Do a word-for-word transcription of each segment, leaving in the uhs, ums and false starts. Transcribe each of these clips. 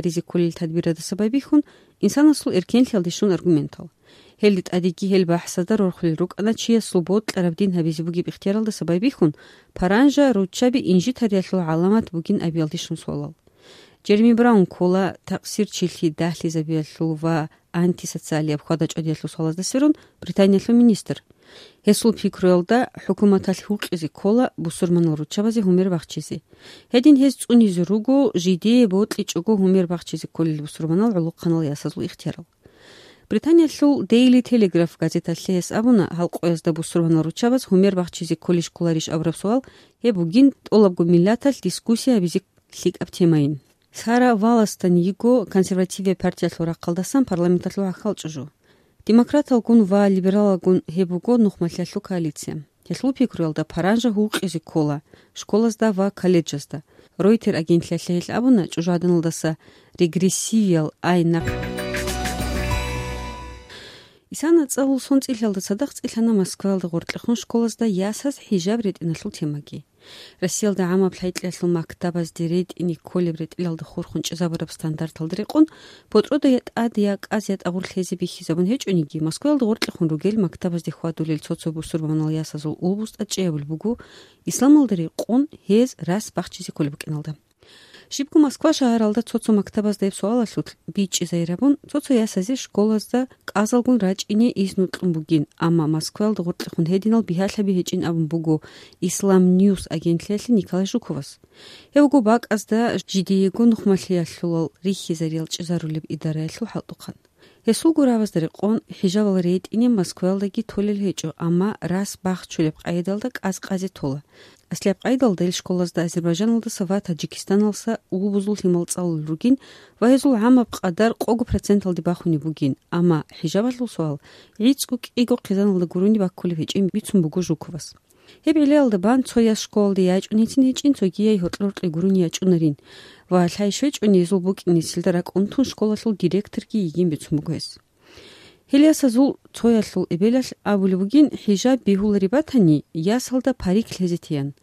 ризикколел тадбирадаса байбихьун, инсанасул эркенлъиялде щун аргументал. Гьелде тӀадеги гьел бахӀсазда рорхулел рукӀана чиясул бокьараб дин гьабизе бугеб ихтияралдаса байбихьун, паранжа руччаби инжитариялъул гӀаламат бугин абиялде щун суалал. Джереми Браун ккола такъсирчилъи дагьлъизабиялъул ва антисоциалияб хьвада-чӀвадиялъул суалазда сверун Британиялъул министр. Гьесул пикруялда, хӀукуматалъ гьукъизе ккола бусурманал руччабазе гьумер бахчизе. Гьедин гьез цӀунизе руго, жидее бокьичӀого гьумер бахчизе кколел бусурманал гӀолохъанал ясазул ихтиярал. Британиялъул Daily Telegraph газеталъе гьес абуна, гьал къоязда бусурманал руччабаз гьумер бахчизе кколищ кколарищ абураб суал, гьеб бугин тӀолабго миллаталъ дискуссия гьабизе лъикӀаб темайин. Сара Валластон йиго консервативияб партиялъул рахъалдасан парламенталъул гӀахьал чӀужу. Демократалгун ва либералалгун гьеб буго нухмалъиялъул коалиция. Гьелъул пикруялда, паранжа гьукъизе ккола школазда ва колледжазда. Reuters агентлъиялъе гьел абуна, чӀужугӀаданалдаса регрессивиял ай нахъ. Исана цӀалул сон цӀилъалда цадахъ цӀилъана Москваялда гъоркьехун школазда ясаз хӀижаб ретӀиналъул темаги. Россиялда гӀамаб лъай-кьиялъул мактабазде ретӀине кколеб ретӀелалда хурхун чӀезабураб стандарталда рекъон, ботӀрода я тӀад, я кӀаз, я тӀагъур лъезе бихьизабун гьечӀониги, Москваялда гъоркьехун ругел мактабазде хьвадулел цо-цо бусурбанал ясазул улбустӀа чӀей абулеб буго, исламалда рекъон гьез рас бахчизе кколеб букӀиналда. Щибго Москва шагьаралда цо-цо мактабазда гьеб суалалъулъ бичӀчӀизайирабун, цо-цо ясазе школазда кӀазалгун рачӀине изну кьун бугин, амма Москваялда гъоркьехун гьединал бигьалъаби гьечӀин абун буго Ислам Ньюс агентлъиялъе Николай Жуковас. Гьев вуго бакӀазда жидеего нухмалъиялъулал рихьизариял чӀезарулеб идараялъул хӀалтӀухъан. Гьесулго рабазда рекъон, хӀижабал ретӀине Москваялдаги толел гьечӀо, амма рас бахчулеб къайдалда кӀаз къазе тола. Аслияб къайдалда ил школазда Азербайжаналдаса ва Таджикистаналса улбузул лъимал цӀалулел ругин ва гьезул гӀамаб къадар къого проценталде бахунеб бугин, амма хӀижабалъул суал гӀицӀго-кӀиго хъизаналда гурони баккулеб гьечӀин бицун буго Жуковас. Гьеб гӀиллаялда бан цо яс школалде ячӀунецин гьечӀин, цогияй гьоркьор-гьоркье гурони ячӀунарин ва лъай щвечӀони гьезул букӀинецилда ракӀ унтун школалъул директорги йигин бицун буго гьес. Гьел ясазул цоялъул эбелалъ абулеб бугин, хӀижаб бегьулареб батани, ясалда парик лъезе тиян.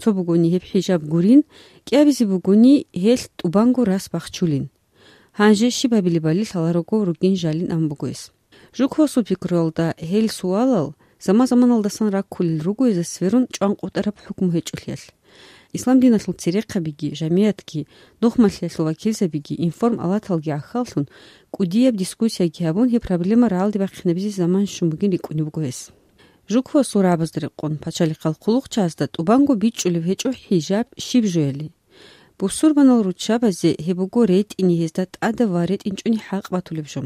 Цо бугони гьеб хӀижаб гурин, кӀиабизе бугони гьелъ тӀубанго рас бахчулин. Гьанже щиб гьабилебали лъаларого ругин жалин абун буго гьес. Жуковасул пикруялда, гьел суалал заман-заманалдасан раккулел руго гьезда сверун чӀванкъотӀараб хӀукму гьечӀолъиялъ. Ислам диналъул церехъабиги, жамигӀатги, нухмалъиялъул вакилзабиги, информалаталги гӀахьаллъун, кӀудияб дискуссияги гьабун, гьеб проблема рагӀалде бахъинабизе заман щун бугин рикӀкӀунеб буго гьес. Жуковасул рагӀабазда рекъон, пачалихъал хъулухъчагӀазда тӀубанго бичӀчӀулеб гьечӀо хӀижаб щиб жояли. Бусурбанал руччабазе гьеб буго ретӀине гьезда тӀадаб ва ретӀинчӀони хӀакъ батулеб жо.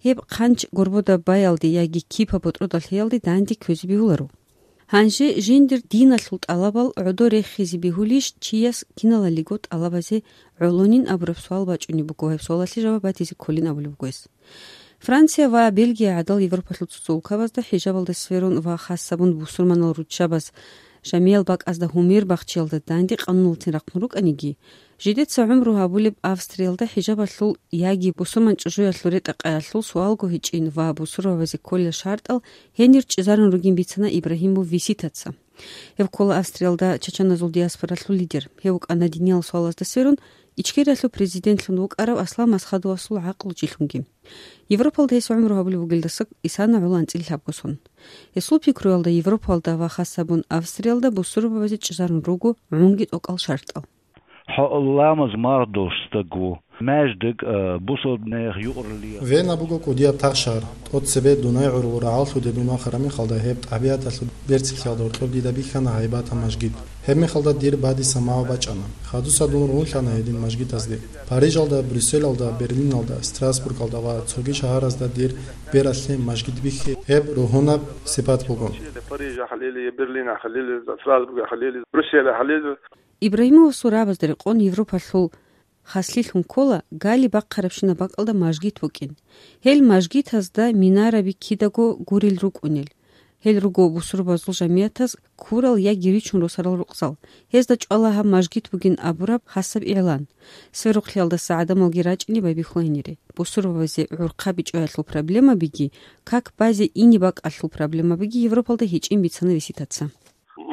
Гьеб хъанч горбода баялде яги кипа ботӀродалъиялде данде кквезе бегьуларо. Гьанже жиндир диналъул тӀалабал гӀодо рехизе бегьулищ чияс киналалиго тӀалабазе гӀолонин абураб суал бачӀунеб буго, гьеб суалалъе жаваб батизе кколин абулеб буго гьес. Франция ва Бельгия гӀадал Европалъул цо-цо улкабазда хӀижабалда сверун ва хасабун бусурманал руччабаз жамиял бакӀазда гьумер бахчиялда данде къануналцин рахъун рукӀаниги, жидеца гӀумру гьабулеб Австриялда хӀижабалъул яги бусурман чӀужуялъул ретӀа-къаялъул суалго гьечӀин ва бусурбабазе кколел шартӀал гьенир чӀезарун ругин бицана Ибрагьимов Виситаца. Гьев ккола Австриялда чачаназул диаспоралъул лидер. Гьев вукӀана диниял суалазда сверун Ичкериялъул президентлъун вукӀарав Аслан Масхадовасул гӀакълучилъунги. Европалда гьес гӀумру гьабулеб бугелдаса исана гӀоло анцӀила лъабго сон. Гьесул пикруялда, Европалда ва хасабун Австриялда бусурбабазе чӀезарун руго гӀунги тӀокӀал шартӀал. Гьа, ламаз мардолъ стаго, маждик, а, бусурбаб мехалъ юкъаралъе. Вена буго кӀудияб тахшагьар. ТӀоцебе Дунай гӀурул рагӀаллъуде дун вахараб мехалда, гьеб тӀабигӀаталъул берцинлъиялда гьоркьоб дида бихьана гьайбатаб мажгит. Гьеб мехалда дир бадиса магӀу бачӀана. Хадуса дун рагьунлъана гьедин мажгитазде. Парижалда, Брюсселалда, Берлиналда, Страсбургалда ва цоги шагьаразда дир бералъе мажгит бихьи, гьеб ругьунаб сипат буго. Парижалъ лели, Берлиналъ лели, Страсбургалъ лели, Брюсселалъ лели. Ибрагьимовасул рагӀабазда рекъон Европалъул хаслъилъун ккола гали бахъарабщинаб бакӀалда мажгит букӀин. Гьел мажгитазда минараби кидаго гурел рукӀунел. Гьел руго бусурбабазул жамигӀатаз ккурал яги ричун росарал рукъзал. Гьезда чӀвала гьаб мажгит бугин абураб хасаб игӀлан. Сверухълъиялдаса гӀадамалги рачӀине байбихьуланире. Бусурбабазе гӀурхъаби чӀваялъул проблемабиги, как базе ине бакӀалъул проблемабиги Европалда гьечӀин бицана Виситаца.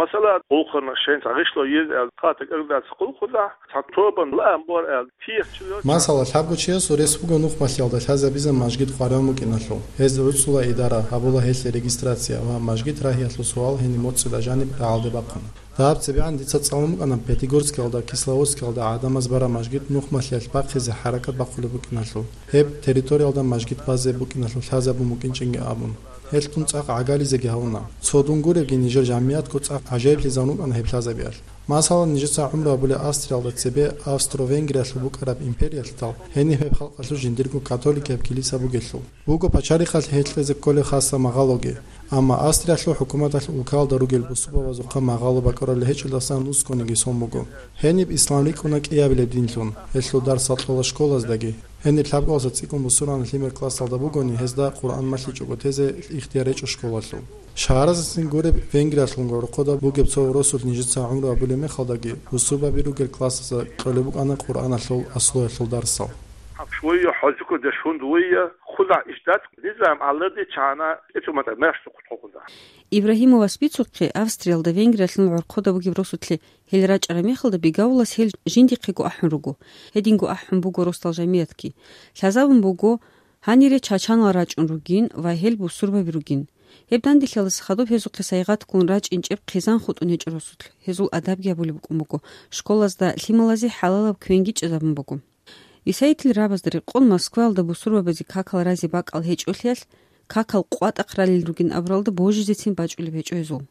Масала, гъулхъана шайин гъишло йез эл, хъатак эрдац гъулхъуда, цатӀобан лаамбор эл, тиях чило. Масала, лъабго чиясул рес буго нухмалъиялда лъазабизан мажгит къваригӀун букӀиналъул. Гьез гӀуцӀула идара, гьабула гьелъе регистрация ва мажгит рагьиялъул суал гьениб моцӀила жаниб рагӀалде бахъуна. Дагьаб цебегӀан дица цӀалун букӀана Пятигорскиялда, Кисловодскиялда гӀадамаз бара мажгит нухмалъиялъ бахъизе хӀаракат бахъулеб букӀиналъул, гьеб территориялда мажгит базе букӀиналъул лъазабун букӀинчӀинги абун. Гьелъ дун цӀакъ гӀагализеги гьавуна. Цо дун гуребги, нижер жамигӀатго цӀакъ гӀажаиблъизавун вукӀана гьеб лъазабиялъ. Масала, нижеца гӀумру гьабулеб Австриялда цебе Австро-Венгриялъул букӀараб империялъ тал, гьениб гьеб халкъалъул жиндирго католикияб килиса бугелъул. Буго пачалихъалъ гьелъ кьезе кколеб хасаб магъалоги, амма Австриялъул хӀукуматалъ улкаялда ругел бусурбабазухъа магъало бакӀарулел гьечӀелдасан ускониги сон буго. Гьениб ислам рикӀкӀуна кӀиабилеб динлъун, гьелъул дарсал кьола школаздаги. Гьениб лъабкъоялдаса цӀикӀкӀун бусурбабаз лъимер классалда бугони, гьезда Къуръан малъичӀого тезе ихтияр гьечӀо школалъул. Шагьаразецин гуреб, Венгриялъунго гӀорхъода бугеб цо росулъ нижеца гӀумру гьабулеб мехалдаги, бусурбаби ругел классазда кьолеб букӀана Къуръаналъул аслуялъул дарсал. Швейя хӀожукъо дешунд вейя, худа иштат низам аллади чана, эцумата мерш тухутхукуда. Ибрагьимовас бицухъе, Австриялда Венгриялъул гӀорхъода бугеб росулъе гьел рачӀараб мехалда, бигавулас гьел жиндихъего ахӀун руго. Гьединго ахӀун буго росдал жамиятги. Лъазабун буго, гьанире чачанал рачӀун ругин ва гьел бусурбаби ругин. Гьеб данделъиялдаса хадуб гьезухъе сайгъат ккун рачӀинчӀеб хъизан хутӀун гьечӀо росулъ, гьезул адабги гьабулеб букӀун буго, школазда лъималазе хӀалалаб квенги чӀезабун буго. Висаитил рабазда рекъон Москваялда бусурбабазе какал разе бакӀал гьечӀолъиялъ, какал къватӀахъ ралел ругин абуралда божизецин бачӀулеб гьечӀо гьезул.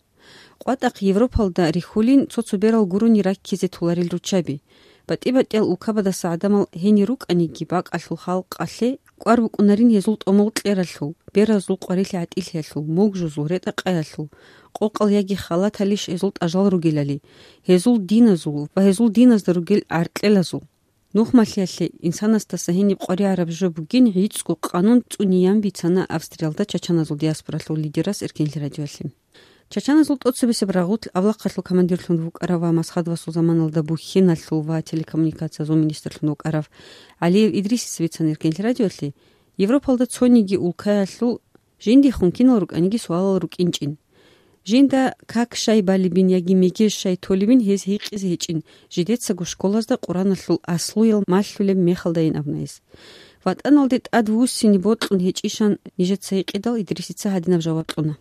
КъватӀахъ Европалда рихьулин цо-цо берал гурони раккизе толарел руччаби. БатӀи-батӀиял улкабадаса гӀадамал гьенир рукӀаниги, бакӀалъул халкъалъе кӀвар букӀунарин гьезул тӀомал кьералъул, беразул къварилъи гӀатӀилъиялъул, мугжузул, ретӀа-къаялъул, къокъал яги халаталищ гьезул тӀажал ругелали, гьезул диназул ва гьезул диназда ругел гӀаркьелазул. Нухмалъиялъе инсанасдаса гьениб къваригӀараб жо бугин гӀицӀго къанун цӀуниян бицана Австриялда чачаназул диаспоралъул лидерас Эркенлъи радиоялъе. Чачаназул тӀоцебесеб рагъулъ авлахъалъул командирлъун вукӀарав ва Масхадовасул заманалда бухьиналъул ва телекоммуникациязул министрлъун вукӀарав ГӀалиев Идрисица бицана Эркенлъи радиоялъе, Европалда цониги улкаялъул жиндихун кинал рукӀаниги суалал рукӀинчӀин. Жинда как щай балебин яги мегеж щай толебин гьез гьикъизе гьечӀин, жидецаго школазда Къураналъул аслуял малъулеб мехалдайин абуна гьес. ВатӀаналде тӀадвуссине бокьун гьечӀищан нижеца гьикъидал, Идрисица гьадинаб жаваб кьуна.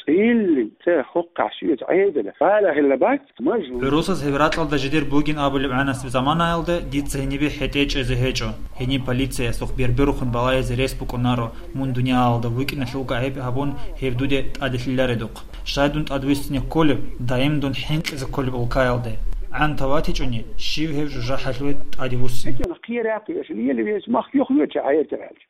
ЦӀилли цӀе хухъахӀ щивец гӀедала, балагьила бакӀ, мажгьу. ГӀурусаз гьеб ракьалда жидер бугин абулеб гӀанасеб заманаялда дица гьенибе хӀетӀе чӀезе гьечӀо. Гьениб полициясухъ берберухъун балагьизе рес букӀунаро, мун дуниялалда вукӀиналъул гӀайиб гьабун, гьеб дуде тӀаделъиларедухъ. Щай дун тӀадвуссине кколеб, даим дун хӀинкъизе кколеб улкаялде? ГӀан таватичӀони, щив гьев жужахӀалъуве тӀадевуссине? Хъия рахъиялъ, ел вес мах юх йоча гӀайиб гьалчи.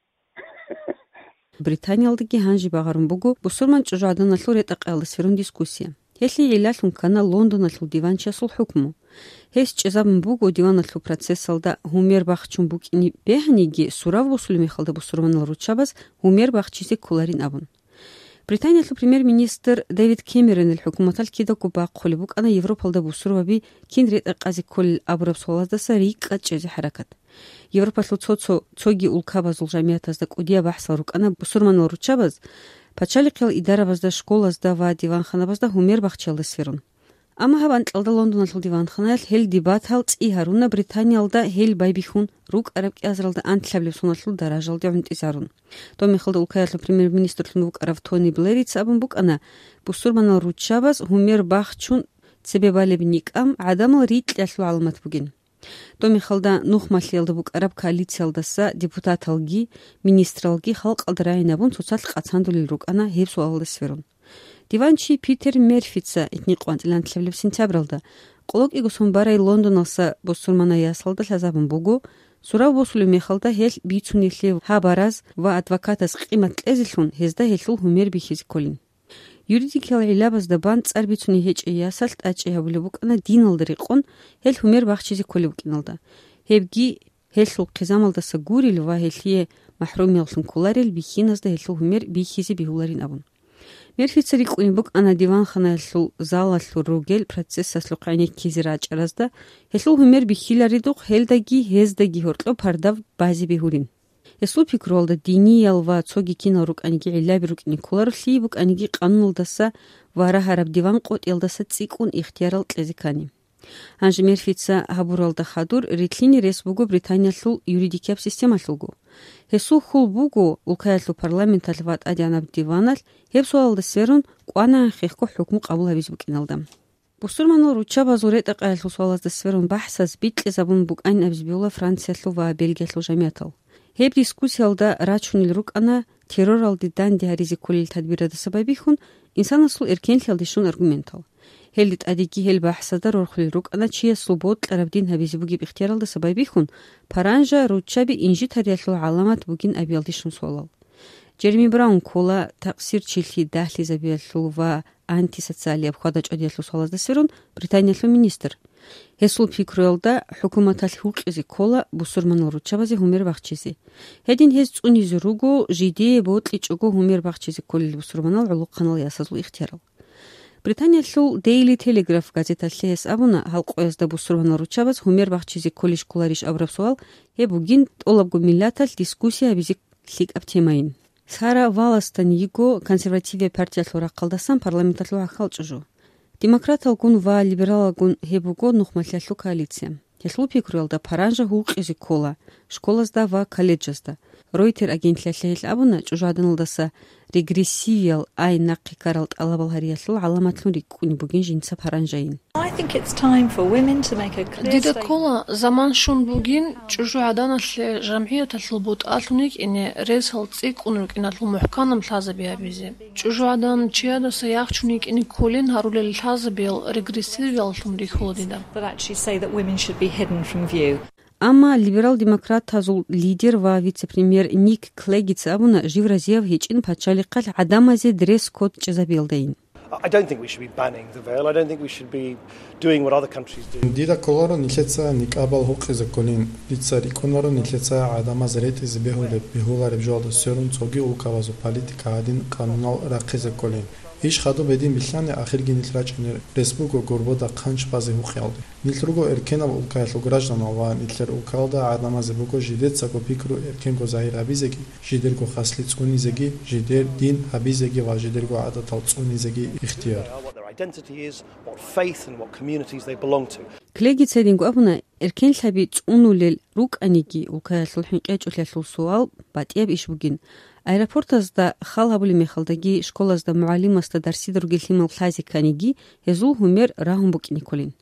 Британиялдаги гьанже багъарун буго бусурман чӀужугӀаданалъул ретӀа-къаялда сверун дискуссия. Гьелъие гӀиллалъун ккана Лондоналъул диванчиясул хӀукму. Гьес чӀезабун буго диваналъул процессалда гьумер бахчун букӀине бегьаниги, сурав босулеб мехалда бусурманал руччабаз гьумер бахчизе кколарин абун. Британиялъул премьер-министр Дэвид Кэмеронил хӀукуматалъ кидаго бахъулеб букӀана Европалда бусурбаби кин ретӀа-къазе кколел абураб суалаздаса рикӀкӀад чӀезе хӀаракат. Европалъул цо-цо цоги улкабазул жамиятазда кӀудияб бахӀсал рукӀана бусурманал руччабаз пачалихъиял идарабазда, школазда ва диванханабазда гьумер бахчиялда сверун. Амма гьаб анкьалда Лондоналъул диванханаялъ гьел дебатал цӀи гьаруна Британиялда гьел байбихьун рукӀараб кӀиазаралда анлъабилеб соналъул даражалде гӀунтӀизарун. Доб мехалда улкаялъул премьер-министрлъун вукӀарав Тони Блерица абун букӀана, бусурманал руччабаз гьумер бахчун цебе балеб никӀкӀам гӀадамал рикьиялъул гӀаламат бугин. Доб мехалда нухмалъиялда букӀараб коалициялдаса депутаталги, министралги халкъалда рагӀинабун цоцалъ къацандулел рукӀана гьеб суалалда сверун. Диванчи Питер Мерфица итни къванцӀилан анлъабилеб сентябралда, къоло кӀиго сон барай Лондоналса бусурманай ясалда лъазабун буго, сурав босулеб мехалда гьелъ бицунелъе гьабараз ва адвокатаз къимат кьезелъун гьезда гьелъул гьумер бихьизе кколин. Юридикиял гӀиллабазда бан цӀар бицуней гьечӀей ясалъ тӀачӀи гьабулеб букӀана диналда рекъон гьел гьумер бахчизе кколеб букӀиналда. Гьебги гьелъул хъизамалдаса гурел ва гьелъие махӀрумияллъун кколарел бихьиназда гьелъул гьумер бихьизе бегьуларин абун. Мерфица рикӀкӀунеб букӀана диванханаялъул залалъур ругел процессалъухъ гӀенеккизе рачӀаразда, гьелъул гьумер бихьиларедухъ гьелдаги гьездаги гьоркьоб пардав базе бегьулин. Гьесул пикруялда диниял ва цоги кинал рукӀаниги гӀиллаби рукӀине кколаро, лъие букӀаниги къануналдаса ва рагьараб диван къотӀиялдаса цӀикӀкӀун ихтиярал кьезе ккани. Гьанже Мерфица гьабуралда хадур, рилълъине рес буго Британиялъул юридикияб системалъулго. Гьесул хьул буго улкаялъул парламенталъ ва тӀадегӀанаб диваналъ гьеб суалалда сверун кӀванагӀан хехго хӀукму къабул гьабизе букӀиналда. Бусурманал руччабазул ретӀа-къаялъул суалазда сверун бахӀсаз бикьизабун букӀанин абизе бегьула Франциялъул ва Бельгиялъул жамиятал. Гьеб дискуссиялда рачунел рукӀана терроралде данде гьаризе кколел тадбирадаса байбихьун, инсанасул эркенлъиялде щун аргументал. Гьелде тӀадеги гьел бахӀсазда рорхулел рукӀана чиясул бокьараб дин гьабизе бугеб ихтияралдаса байбихьун, паранжа руччаби инжитариялъул гӀаламат бугин абиялде щун суалал. Джереми Браун ккола такъсирчилъи дагьлъизабиялъул ва антисоциалияб хьвада-чӀвадиялъул суалазда сверун Британиялъул министр. Гьесул пикруялда, хӀукуматалъ гьукъизе ккола бусурманал руччабазе гьумер бахчизе. Гьедин гьез цӀунизе руго жидее бокьичӀого гьумер бахчизе кколел бусурманал гӀолохъанал ясазул ихтиярал. Британиялъул Daily Telegraph газеталъе гьес абуна, гьал къоязда бусурманал руччабаз гьумер бахчизе кколищ кколарищ абураб суал, гьеб бугин тӀолабго миллаталъ дискуссия гьабизе лъикӀаб темайин. Сара Валластон йиго консервативияб партиялъул рахъалдасан парламенталъул гӀахьал чӀужу. Демократалгун ва либералалгун гьеб буго нухмалъиялъул коалиция. Гьелъул пикруялда, паранжа гьукъизе ккола школазда ва колледжазда. Ройтер агентлъиялъе гьел абуна, чӀужугӀаданалдаса регрессивиял ай нахъе ккарал тӀалабал гьариялъул гӀаламатлъун рикӀкӀунеб бугин жинца паранжайин. I think it's time for women to make a clear Дида statement. Ккола заман щун бугин чӀужугӀаданалъе жамгӀияталъул бутӀалъун йикӀине ресал цӀикӀкӀун рукӀиналъул мухӀканаб лъазаби гьабизе. ЧӀужугӀадан чиядаса яхчун йикӀине кколин гьарулел лъазабиял регрессивияллъун рихьула дида. But actually say that women should be hidden from view. Амма либерал-демократазул лидер ва вице-премьер Ник Клегица абуна, жив разияв гьечӀин пачалихъалъ гӀадамазе дресс-код чӀезабиялдайин. I don't think we should be banning the veil. I don't think we should be doing what other countries do. Дида кколаро нилъеца никабал гьукъизе кколин. Дица рикӀкӀунаро нилъеца гӀадамаз ретӀизе бегьулеб, бегьулареб жоялда сверун цоги улкабазул политика гьадин къанунал рахъизе кколин. Иш хадуб гьедин билълъани, ахирги нилъ рачӀунел рес буго гурбода хъанч базе гьукъиялде. Нилъ руго эркенаб улкаялъул гражданал ва нилъер улкаялда гӀадамазе буго жидецаго пикру эркенго загьир гьабизеги, жидерго хаслъи цӀунизеги, жидер дин гьабизеги ва жидерго гӀадатал цӀунизеги ихтияр. What their identity is, what faith and what communities they belong to. Клегица гьединго абуна, эркенлъаби цӀунулел рукӀаниги, улкаялъул хӀинкъичӀолъиялъул суал батӀияб иш бугин. Аэропортазда хал гьабулеб мехалдаги, школазда мугӀалимасда дарсида ругел лъимал лъазе кканиги, гьезул гьумер рагьун букӀине кколин.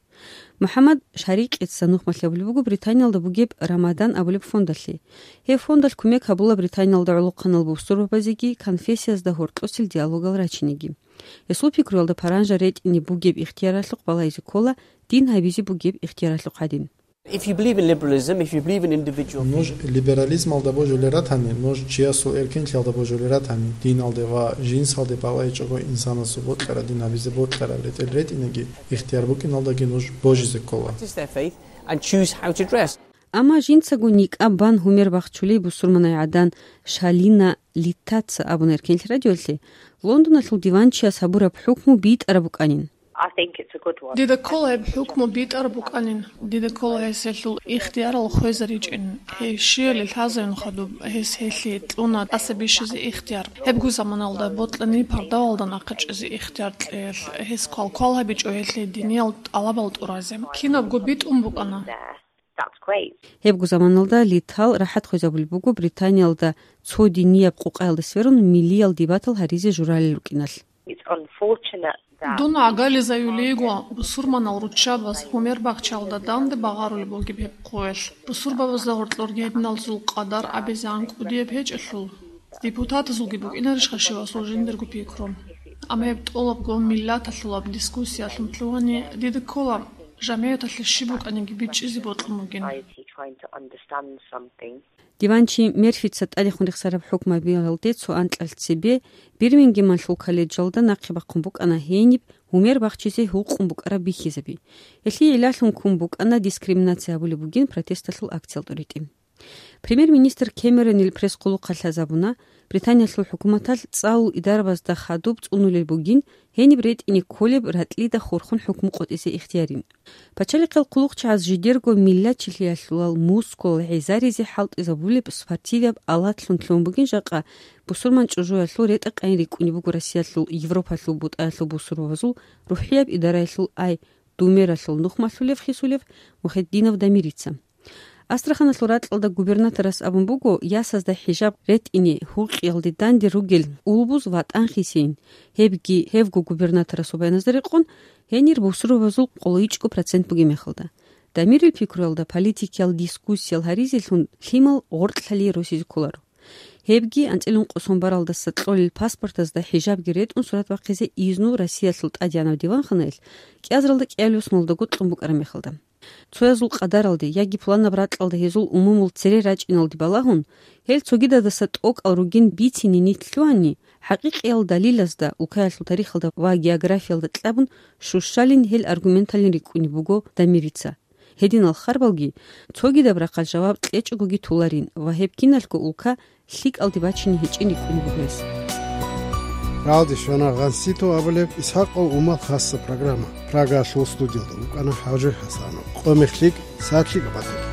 МухӀаммад Шарикъица нухмалъи абулеб буго Британиялда бугеб Рамадан абулеб фондалъе. Гьеб фондалъ кумек гьабула Британиялда гӀолохъанал бусурбабазеги конфессиязда гьоркьосел диалогал рачинеги. Гьесул пикруялда, паранжа ретӀине бугеб ихтияралъухъ балагьизе ккола дин гьабизе бугеб ихтияралъухъ гьадин. If you believe in liberalism, if you believe in individual Нуж freedom, либерализмалда божулел ратани, нуж чиясул эркенлъиялда божулел ратани, диналде ва жинсалде балагьичӀого инсанасул бокьараб дин гьабизе бокьараб ретӀел ретӀинеги, ихтияр букӀиналдаги нуж божизе ккола. Practice their faith and choose how to dress. Амма жинцаго никӀаб бан гьумер бахчулей бусурманай гӀадан Шалина Литтаца абуна Эркенлъи радиолъе, Лондоналъул диванчияс гьабураб хӀукму битӀараб букӀанин. I think it's a good one. Дида ккола гьеб хӀукму битӀараб букӀанин. Дида ккола гьес гьелъул ихтиярал хвезаричӀин. Гьей щияле лъазаюн хадуб, гьес гьелъие кьуна тӀаса бищизе ихтияр. Гьебго заманалда бокьани пардавалда нахъе чӀезе ихтияр кьеялъ, гьес квалквал гьабичӀо гьелъие диниял тӀалабал тӀуразе. Кинабго битӀун букӀана. That's great. Гьебго заманалда Литал рахӀат хвезабулеб буго Британиялда цо динияб къукъаялда сверун миллиял дебатал гьаризе журалел рукӀиналъ. It's unfortunate that Дун гӀагарлъизаюлейго, бусурманал руччабаз гьумер бахчалда данде багъарулеб бугеб гьеб хъуялъ. Бусурбабазда гьоркьорги гьединалзул къадар абизе анкӀ кӀудияб гьечӀелъул, депутатазулги букӀинарищха щивасул жиндирго пикру? Амма гьеб тӀолабго миллаталъулаб дискуссиялъун лъугьани, дида ккола, жамигӀаталъе щиб букӀаниги бичӀчӀизе бокьун бугин. Society trying to understand something. Диванчи Мерфица тӀадехун рехсараб хӀукмабиялде цо анкьал цебе Бирмингемалъул колледжалда нахъе бахъун букӀана гьениб гьумер бахчизе гьукъун букӀараб бихьизаби. Гьелъие гӀиллалъун ккун букӀана дискриминация гьабулеб бугин протесталъул акциялда ритӀи. Премьер-министр Кэмеронил пресс-хъулухъалъ лъазабуна, Британиялъул хӀукуматалъ цӀалул идарабазда хадуб цӀунулел бугин гьениб ретӀине кколеб ратӀлида хурхун хӀукму къотӀизе ихтиярин. Пачалихъал хъулухъчагӀаз жидерго миллачилъиялъулал мускулал гӀезаризе хӀалтӀизабулеб спортивияб алатлъун лъун бугин жакъа бусурман чӀужуялъул ретӀа-къайин рикӀкӀунеб буго Россиялъул Европалъул бутӀаялъул бусурбабазул рухӀияб идараялъул ай Думералъул нухмалъулев хисулев Мухетдинов Дамирица. Астраханалъул ракьалда губернаторас абун буго, ясазда хӀижаб ретӀине гьукъиялде данде ругел улбуз ватӀан хисейин. Гьебги, гьевго губернаторасул баяназда рекъон, гьенир бусурбабазул къолойчӀго процент бугеб мехалда. Дамирил пикруялда политикиял дискуссиял гьаризелъун лъимал гъоркьлъали росизе кколаро. Гьебги анцӀила ункъо сон баралдаса кьолел паспортазда хӀижабги ретӀун сурат бахъизе изну Россиялъул тӀадегӀанав диванханаялъ кӀиазаралда кӀиабилеб соналдаго кьун букӀараб мехалда. Цоязул къадаралде яги пуланаб ракьалда гьезул умумул цере рачӀиналде балагьун, гьел цогидадаса тӀокӀал ругин бицине нилъ лъугьани, хӀакъикъиял далилазда, улкаялъул тарихалда ва географиялда кьабун щущалин гьел аргументалин рикӀкӀунеб буго Дамирица. Гьединал харбалги цогидаб рахъалъ жаваб кьечӀогоги толарин ва гьеб киналго улка лъикӀалде бачине гьечӀин рикӀкӀунеб буго гьес. Рагьалде щвана Гъансито абулеб ИсхӀакъав Умал хасса программа. Прагаялъул студиялда вукӀана ХӀажи ХӀасанов. Къо-мех лъикӀ, сагӀат лъикӀаб батаги.